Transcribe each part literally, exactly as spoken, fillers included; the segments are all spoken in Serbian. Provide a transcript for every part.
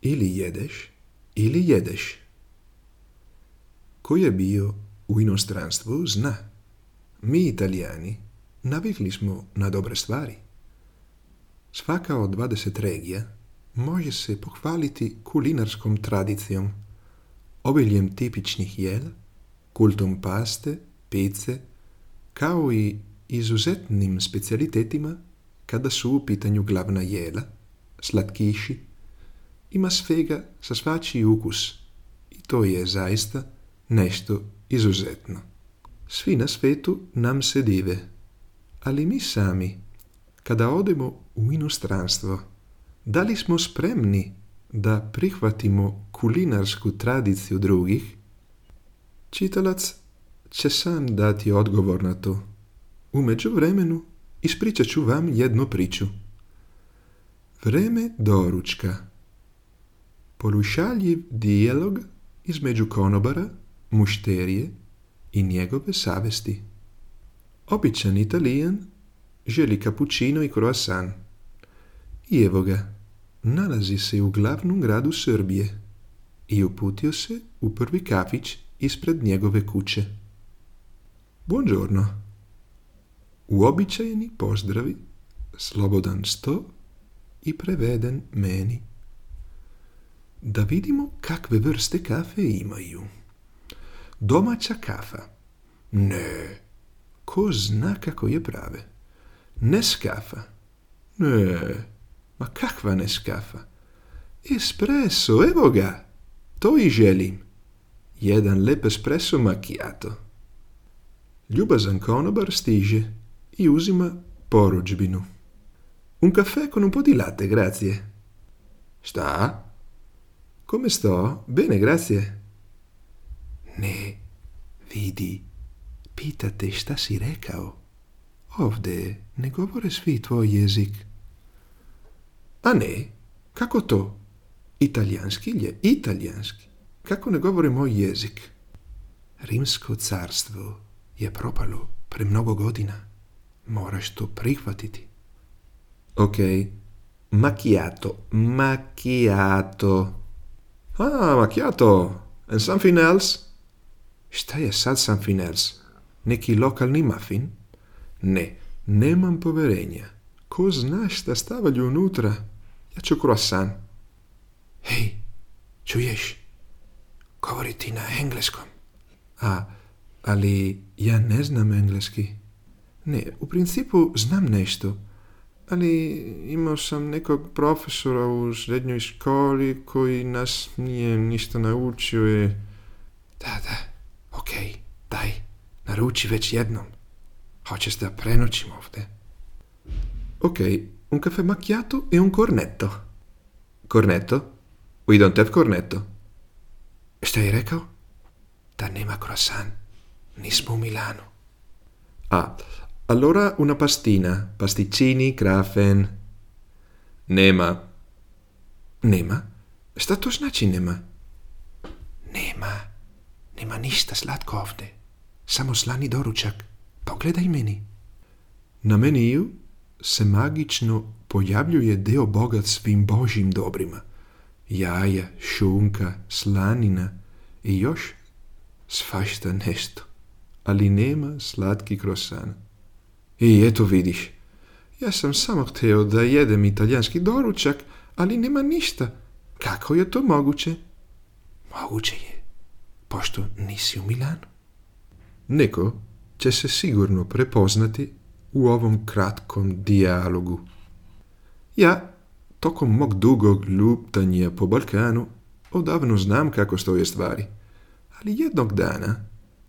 Ili jedeš, ili jedeš. Ko je bio u inostranstvu zna. Mi Italijani navikli smo na dobre stvari. Svaka od dvadeset regija može se pohvaliti kulinarskom tradicijom, obiljem tipičnih jela, kultom paste, pice, kao i izuzetnim specijalitetima kada su u pitanju glavna jela, slatkiši. Ima svega za svačiji ukus i to je zaista nešto izuzetno. Svi na svetu nam se dive, ali mi sami, kada odemo u inostranstvo, da li smo spremni da prihvatimo kulinarsku tradiciju drugih? Čitalac će sam dati odgovor na to. U međuvremenu ispričat ću vam jednu priču. Vreme doručka. Polušaljiv dijalog između konobara, mušterije i njegove savesti. Običan Italijan želi cappuccino i croissant. I evo ga, nalazi se u glavnom gradu Srbije i uputio se u prvi kafić ispred njegove kuće. Buongiorno. Uobičajeni pozdravi, slobodan sto i preveden meni. Da vidimo kakve vrste kafe imaju. Domaća kafa. Ne, ko zna kako je prave. Neskafa. Ne, ma kakva Neskafa? Espresso, evo ga. To i želim. Jedan lep espresso macchiato. Ljubazan konobar stiže i uzima porudžbinu. Un caffè con un po' di latte, grazie. Šta? Come sto? Bene, grazie. Ne, vidi, pitate šta si rekao. Ovde ne govore svi tvoj jezik. A ne, kako to? Italijanski je italijanski. Kako ne govore moj jezik? Rimsko carstvo je propalo pre mnogo godina. Moraš to prihvatiti. Ok, macchiato, macchiato. Ah, macchiato. And something else? Šta je sad something else? Neki lokalni muffin? Ne, nemam poverenja. Ko zna šta stavljaju unutra? Ja ću croissant. Hej, čuješ? Govori ti na engleskom. A, ali ja ne znam engleski. Ne, u principu znam nešto, ali imao sam nekog profesora u srednjoj školi koji nas nije ništa naučio i... Da, da, okej, okay, daj, naruči već jednom. Hoćeš da prenoćim ovde? Ok, un caffè macchiato e un cornetto. Cornetto? We don't have cornetto. Šta je rekao? Da nema croissant. Nismo u Milanu. Ah, allora una pastina, pasticcini, krafen. Nema. Nema? Šta to znači nema? Nema. Nema ništa slatko ovde. Samo slani doručak. Pogledaj meni. Na meniju se magično pojavljuje deo bogat svim božjim dobrima. Jaja, šunka, slanina i još svašta nešto. Ali nema slatki croissant. I eto vidiš, ja sam samo hteo da jedem italijanski doručak, ali nema ništa. Kako je to moguće? Moguće je, pošto nisi u Milanu. Neko će se sigurno prepoznati u ovom kratkom dijalogu. Ja, tokom mog dugog luptanja po Balkanu, odavno znam kako stoje stvari, ali jednog dana,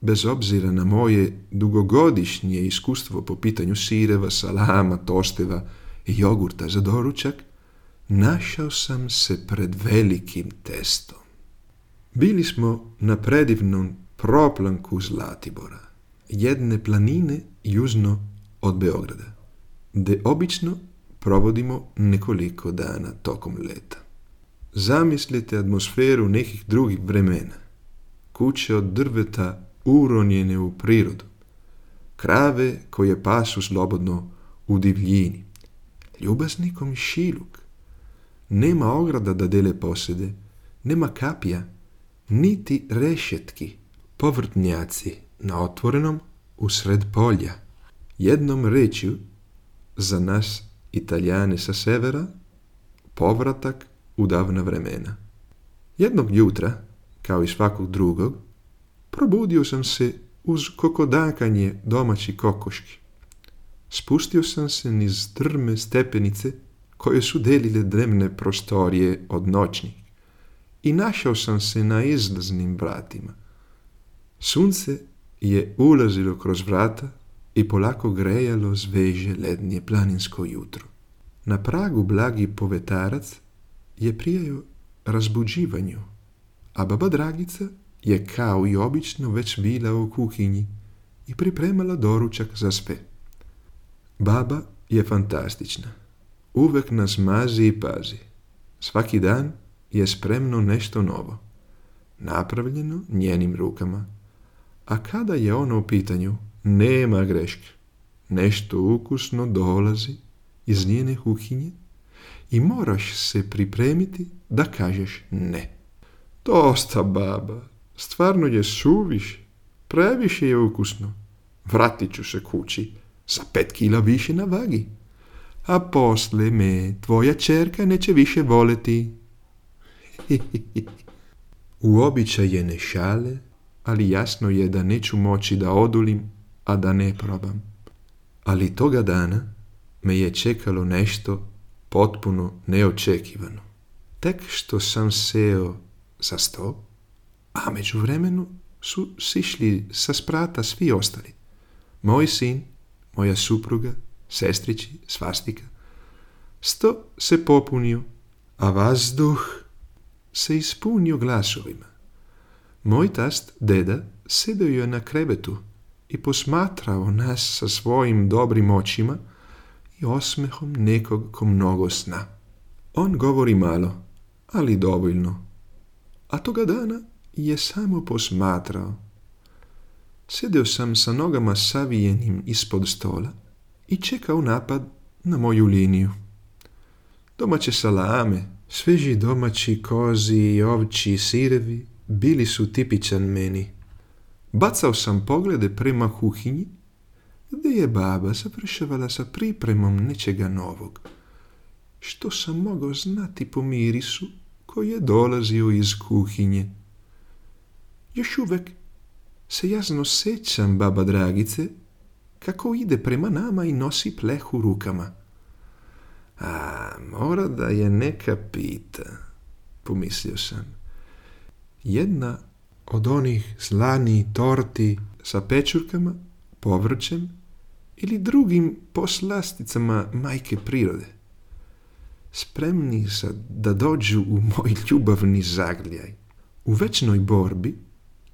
bez obzira na moje dugogodišnje iskustvo po pitanju sireva, salama, tosteva i jogurta za doručak, našao sam se pred velikim testom. Bili smo na predivnom proplanku Zlatibora, jedne planine južno od Beograda, gde obično provodimo nekoliko dana tokom leta. Zamislite atmosferu nekih drugih vremena. Kuće od drveta uronjene u prirodu. Krave koje pasu slobodno u divljini. Ljubazni komšiluk. Nema ograda da dele posede, nema kapija, niti rešetki, povrtnjaci na otvorenom usred polja. Jednom rečju, za nas Italijane sa severa, povratak u davna vremena. Jednog jutra, kao i svakog drugog, probudio sam se uz kokodakanje domaći kokoški. Spustio sam se niz strme stepenice koje su delile dnevne prostorije od noćnih i našao sam se na izlaznim vratima. Sunce je ulazilo kroz vrata i polako grejalo sveže lednje planinsko jutro. Na pragu blagi povetarac je prijao razbuđivanju, a baba Dragica je kao i obično već bila u kuhinji i pripremala doručak za sve. Baba je fantastična. Uvek nas mazi i pazi. Svaki dan je spremno nešto novo, napravljeno njenim rukama. A kada je ono u pitanju, nema greške. Nešto ukusno dolazi iz njene kuhinje i moraš se pripremiti da kažeš ne. Dosta, baba, stvarno je suviše, previše je ukusno. Vratit ću se kući sa pet kila više na vagi, a posle me tvoja čerka neće više voleti. Uobičajene šale, ali jasno je da neću moći da odulim, a da ne probam. Ali toga dana me je čekalo nešto potpuno neočekivano. Tek što sam seo za sto, a međuvremenu su sišli sa sprata svi ostali. Moj sin, moja supruga, sestrići, svastika. Sto se popunio, a vazduh se ispunio glasovima. Moj tast, deda, sedeo je na krevetu i posmatrao nas sa svojim dobrim očima i osmehom nekog ko mnogo zna. On govori malo, ali dovoljno. A toga dana je samo posmatrao. Sedeo sam sa nogama savijenim ispod stola i čekao napad na moju liniju. Domaće salame, sveži domaći kozi i ovčji sirevi bili su tipičan meni. Bacao sam poglede prema kuhinji, gdje je baba završavala sa pripremom nečega novog, što sam mogao znati po mirisu koji je dolazio iz kuhinje. Još uvek se jasno sećam baba Dragice kako ide prema nama i nosi pleh u rukama. A, mora da je neka pita, pomislio sam. Jedna od onih slanih torti sa pečurkama, povrćem ili drugim poslasticama majke prirode. Spremni sad da dođu u moj ljubavni zagrljaj. U večnoj borbi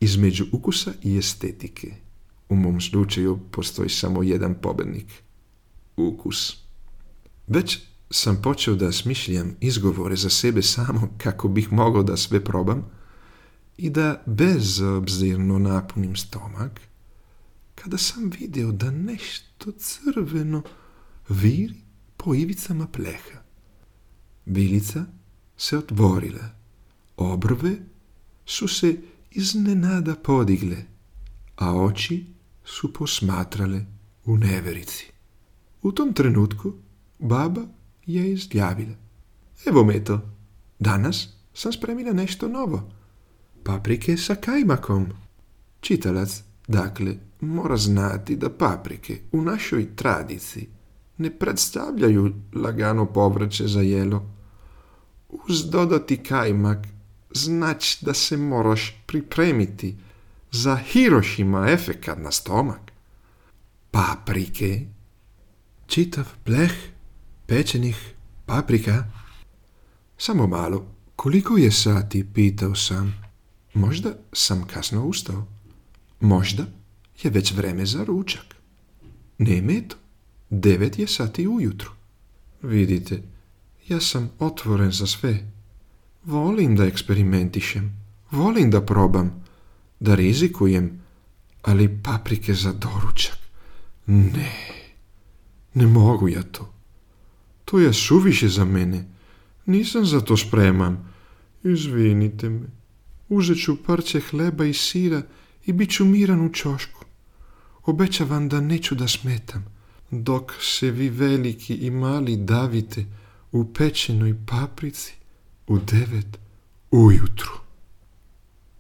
između ukusa i estetike. U mom slučaju postoji samo jedan pobednik. Ukus. Već sam počeo da smišljam izgovore za sebe samo kako bih mogao da sve probam i da bezobzirno napunim stomak, kada sam vidio da nešto crveno viri po ivicama pleha. Vilica se otvorila, obrve su se iznenada podigle, a oči su posmatrale u neverici. U tom trenutku baba je izjavila: evo me to, danas sam spremila nešto novo. Paprike sa kajmakom. Čitalac, dakle, mora znati da paprike u našoj tradiciji ne predstavljaju lagano povrće za jelo. Uz dodati kajmak znači da se moraš pripremiti za Hirošima efekat na stomak. Paprike? Čitav pleh pečenih paprika? Samo malo, koliko je sati, pitao sam. Možda sam kasno ustao. Možda je već vreme za ručak. Ne, eto, devet je sati ujutru. Vidite, ja sam otvoren za sve. Volim da eksperimentišem, volim da probam, da rizikujem, ali paprike za doručak? Ne, ne mogu ja to. To je suviše za mene. Nisam za to spreman. Izvinite me. Uzet ću parče hleba i sira i bit ću miran u ćošku. Obećavam da neću da smetam, dok se vi veliki i mali davite u pečenoj paprici u devet ujutru.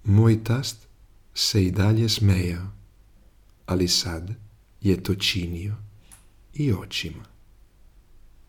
Moj tast se i dalje smejao, ali sad je to činio i očima.